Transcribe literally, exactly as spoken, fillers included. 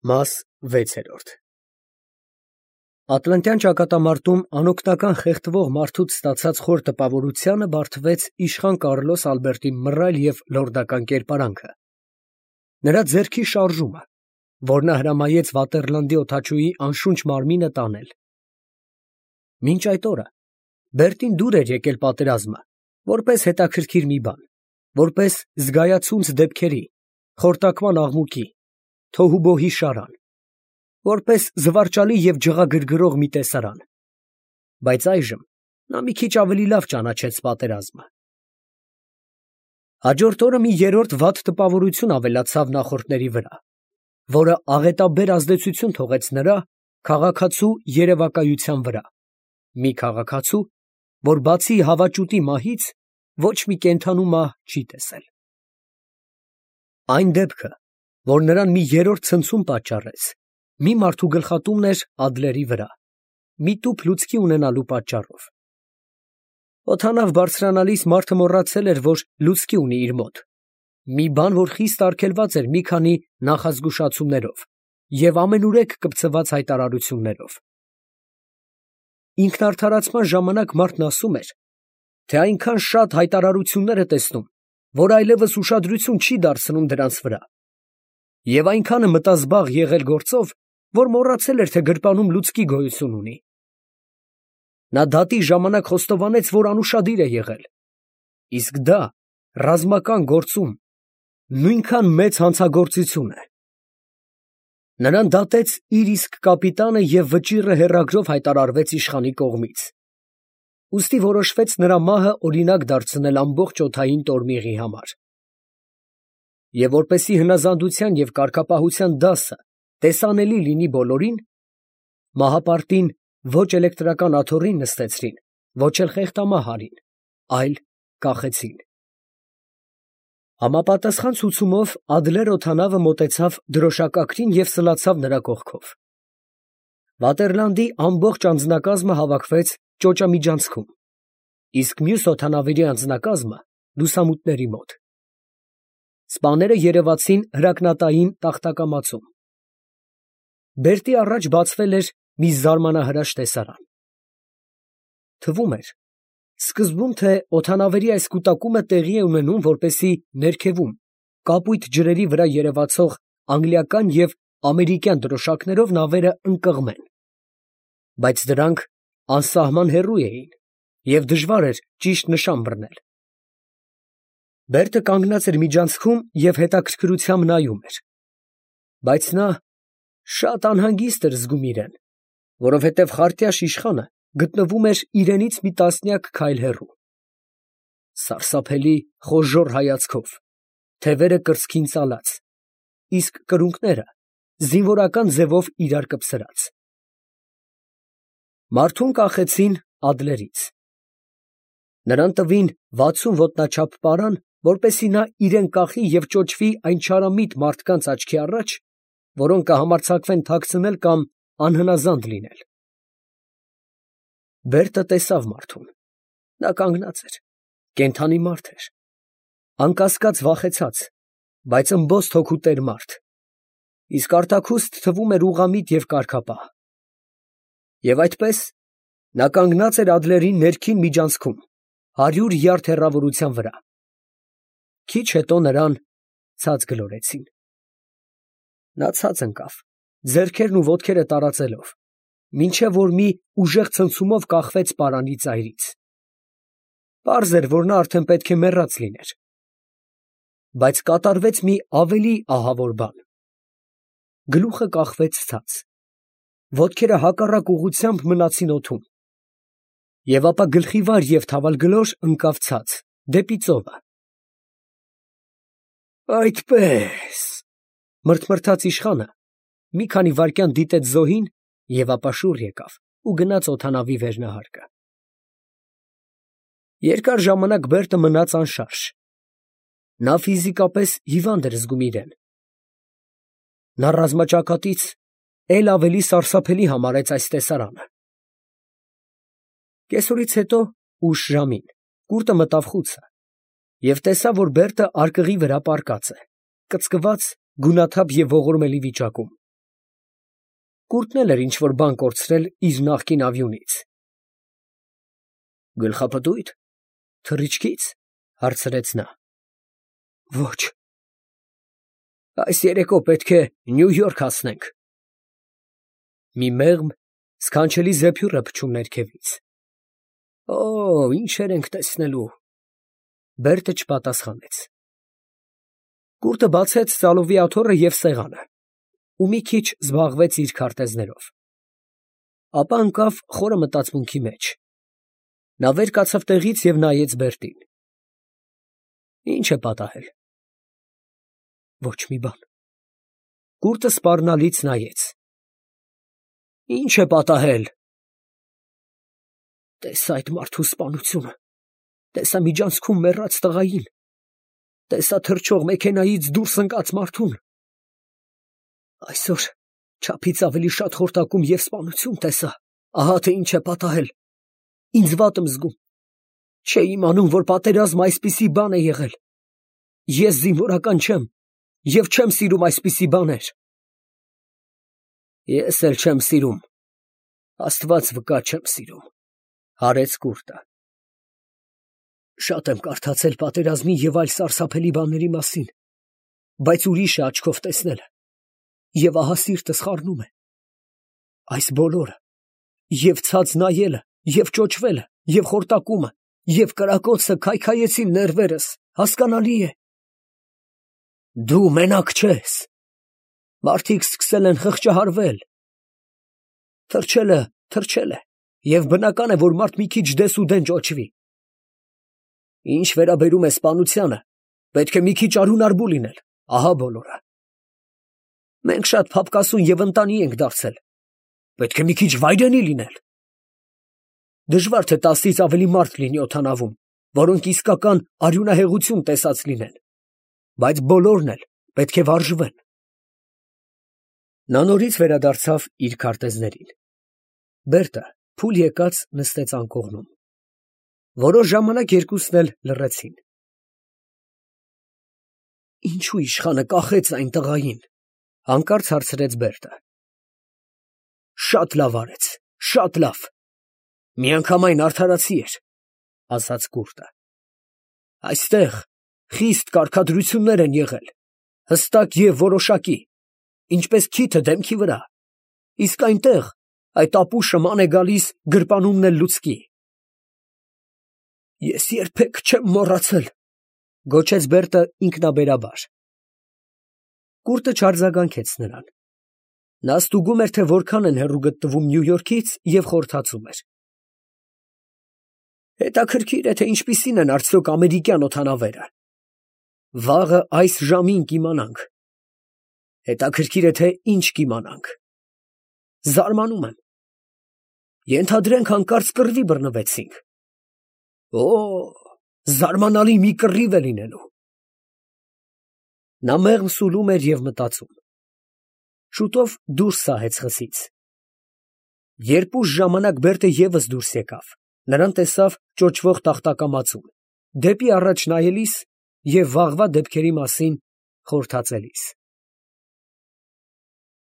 Մաս վեցերորդ Ատլանտյան ճակատամարտում անօգնական խեղդվող մարդուց ստացած խոր տպավորությանը բարդվեց իշխան Կարլոս Ալբերտի մռայլ և լորդական կերպարանքը, նրա ձեռքի շարժումը, որ նա հրամայեց Վատերլանդի օդաչուի անշունչ մարմինը տանել։ Մինչ այդ օրը Բերտին դուր էր եկել պատերազմը, որպես հետաքրքիր մի բան, որպես զգայացունց դեպքերի, խորտակման աղմուկի, թոհուբոհի շարան, որպես զվարճալի և ջղագրգռող մի տեսարան, բայց այժմ նա մի քիչ ավելի լավ ճանաչեց պատերազմը։ Հաջորդ օրը մի երրորդ վատ տպավորություն ավելացավ նախորդների վրա, որը աղետաբեր ազդեցություն թողեց նրա, քաղաքացու երևակայության վրա, մի քաղաքացու, որ բացի հավաճուտի մահից ոչ մի կենդանու մահ չի տեսել։ Այն դեպքը, որ նրան մի երրորդ ցնցում պատճառեց, մի մարդու գլխատումն էր Ադլերի վրա, մի տուփ լուցկի ունենալու պատճառով։ Օդանավ բարձրանալիս մարդը մոռացել էր, որ լուցկի ունի իր մոտ, մի բան, որ խիստ արգելված էր մի քանի նախազգուշացումներով և ամենուրեք կպցված հայտարարություններով։ Ինքնարդարացման ժամանակ մարդն ասում էր, թե այնքան շատ հայտարարություններ է տեսնում, որ այլևս ուշադրություն չի դարձնում դրանց վրա, և այնքան է մտազբաղ եղել գործով, որ մոռացել էր, թե գրպանում լուցկի գոյություն ունի։ Նա դատի ժամանակ խոստովանեց, որ անուշադիր է եղել, իսկ դա ռազմական գործում նույնքան մեծ հանցագործություն է։ Նրան դատեց իր իսկ կապիտանը և վճիռը հեռագրով հայտարարվեց իշխանի կողմից։ Ուստի որոշվեց նրա մահը օրինակ դարձնել ամբողջ օդային տորմիղի համար։ Եվ որպեսզի հնազանդության և կարգապահության դասը տեսանելի լինի բոլորին, մահապարտին ոչ էլեկտրական աթոռին նստեցրին, ոչ էլ խեղդամահ արին, այլ կախեցին։ Համապատասխան ցուցումով Ադլեր օդանավը մոտեցավ դրոշակակրին և սլացավ նրա կողքով։ Վատերլանդի ամբողջ անձնակազմը հավաքվեց ճոճամիջանցքում, իսկ մյուս օդանավերի անձնակազմը լուսամուտների մոտ։ Սպաները երևացին հրակնատային տախտակամածում։ Բերտի առաջ բացվել էր մի զարմանահրաշ տեսարան։ Թվում էր սկզբում, թե օդանավերի այս կուտակումը տեղի է ունենում, որպեսզի ներքևում, կապույտ ջրերի վրա երևացող անգլիական և ամերիկյան դրոշակներով նավերը ընկղմեն, բայց դրանք անսահման հեռու էին, և դժվար էր ճիշտ նշան բռնել։ Բերտը կանգնած էր միջանցքում և հետաքրքրությամբ նայում էր, բայց նա շատ անհանգիստ էր զգում իրեն, որովհետև խարտյաշ իշխանը գտնվում էր իրենից մի տասնյակ քայլ հեռու, սարսափելի խոժոռ հայացքով, թևերը կրծքին ծալած, իսկ կրունկները զինվորական ձևով իրար կպսրած։ Մարդուն կախեցին Ադլերից։ Նրան տվին վաթսուն ոտնաչափ պարան, որպեսզի նա իրեն կախի և ճոճվի այն չարամիտ մարդկանց աչքի առաջ, որոնք կհամարձակվեն թաքցնել կամ անհնազանդ լինել։ Բերտը տեսավ մարդուն. նա կանգնած էր, կենդանի մարդ էր, անկասկած վախեցած, բայց ըմբոստ հոգու տեր մարդ, իսկ արտաքուստ թվում էր ուղղամիտ և կարգապահ։ Եվ այդպես նա կանգնած էր Ադլերի ներքին միջանցքում, հարյուր յարդ հեռավորության վրա։ Քիչ հետո նրան ցած գլորեցին։ Նա ցած ընկավ, ձեռքերն ու ոտքերը տարածելով, մինչև որ մի ուժեղ ցնցումով կախվեց պարանի ծայրից։ Պարզ էր, որ նա արդեն պետք է մեռած լիներ։ Բայց կատարվեց մի ավելի ահավոր բան. գլուխը կախվեց ցած, ոտքերը հակառակ ուղղությամբ մնացին օդում, և ապա գլխիվար և թավալգլոր ընկավ ցած, դեպի ծովը։ Այդպես, մրթմրթաց իշխանը, մի քանի վայրկյան դիտեց զոհին և ապա շուռ եկավ ու գնաց օդանավի վերնահարկը։ Երկար ժամանակ Բերտը մնաց անշարժ. նա ֆիզիկապես հիվանդ էր զգում իրեն։ Նա ռազմաճակատից էլ ավելի սարսափելի համարեց այս տեսարանը։ Կեսօրից հետո, ուշ ժամին, կուրտը մտավ խուցը և տեսավ, որ Բերտը արկղի վրա պառկած է, կծկված, գունաթափ և ողորմելի վիճակում։ Կուրտն էլ էր ինչ-որ բան կորցրել իր նախկին ավյունից։ Գլխապտույտ, թռիչքից, հարցրեց նա։ Ոչ։ Այս երեկո պետք է Նյու Յորք հասնենք։ Մի մեղմ, սքանչելի զեփյուռ է փչում ներքևից։ Օ, ինչեր ենք տեսնելու։ Բերտը չպատասխանեց։ Կուրտը բացեց ծալովի աթոռը և սեղանը, ու մի քիչ զբաղվեց իր քարտեզներով։ Ապա ընկավ խորը մտածմունքի մեջ։ Նա վեր կացավ տեղից և նայեց Բերտին։ Ինչ է պատահել։ Ոչ մի բան։ Կուրտը սպառնալից նայեց։ Ինչ է պատահել։ Տեսա այդ մարդու սպանությունը, տեսա միջանցքում մեռած տղային, տեսա թռչող մեքենայից դուրս ընկած մարդուն։ Այսօր չափից ավելի շատ խորտակում և սպանություն տեսա, ահա թե ինչ է պատահել։ Ինձ վատ եմ զգում։ Չէի իմանում, որ պատերազմը այսպիսի բան է եղել։ Ես զինվորական չեմ և չեմ սիրում այսպիսի բաներ։ Ես էլ չեմ սիրում, Աստված վկա չեմ սիրում, հարեց Կուրտը։ Շատ եմ կարդացել պատերազմի և այլ սարսափելի բաների մասին, բայց ուրիշ է աչքով տեսնելը, և ահա սիրտս խառնում է։ Այս բոլորը, և ցած նայելը, և ճոճվելը, և խորտակումը, և կրակոցը քայքայեցին ներվերս, հասկանալի է։ Դու մենակ չես։ Մարդիկ սկսել են խղճահարվել։ Թռչելը թռչել է, և բնական է, որ մարդ մի քիչ դեսուդեն ճոճվի։ Ինչ վերաբերում է սպանությանը, պետք է մի քիչ արյունարբու լինել, ահա բոլորը։ Մենք շատ փափկասուն և ընտանի ենք դարձել, պետք է մի քիչ վայրենի լինել։ Դժվար թե տասից ավելի մարդ լինի օդանավում, որոնք իսկական արյունահեղություն տեսած լինեն, բայց բոլորն էլ պետք է վարժվեն։ Նա նորից վերադարձավ իր քարտեզներին։ Բերտը փուլ եկած նստեց անկողնում։ Որոշ ժամանակ երկուսն էլ լռեցին։ Ինչու իշխանը կախեց այն տղային, հանկարծ հարցրեց Բերտը։ Շատ լավ արեց, շատ լավ։ Միանգամայն արդարացի էր, ասաց Կուրտը։ Այստեղ խիստ կարգադրություններ են եղել, հստակ և որոշակի, ինչպես քիթը դեմքի վրա, իսկ այնտեղ այդ ապուշը ման է գալիս գրպանումն էլ լուցկի։ Ես երբեք չեմ մոռացել, գոչեց Բերտը ինքնաբերաբար։ Կուրտը չարձագանքեց նրան։ Նա ստուգում էր, թե որքան են հեռու գտնվում Նյու Յորքից և խորհրդածում էր։ Հետաքրքիր է, թե ինչպիսին են արդյոք ամերիկյան օդանավերը։ Վաղը այս ժամին կիմանանք։ Հետաքրքիր է, թե ինչ կիմանանք։ Զարմանում եմ։ Ենթադրենք հանկարծ կռվի բռնվեցինք։ Օ, զարմանալի մի կռիվ է լինելու։ Նա մեղմ սուլում էր և մտածում։ Շուտով դուրս սահեց խսից։ Երբ ուշ ժամանակ Բերտը ևս դուրս եկավ, նրան տեսավ ճոճվող տախտակամածում, դեպի առաջ նայելիս և վաղվա դեպքերի մասին խորհրդածելիս։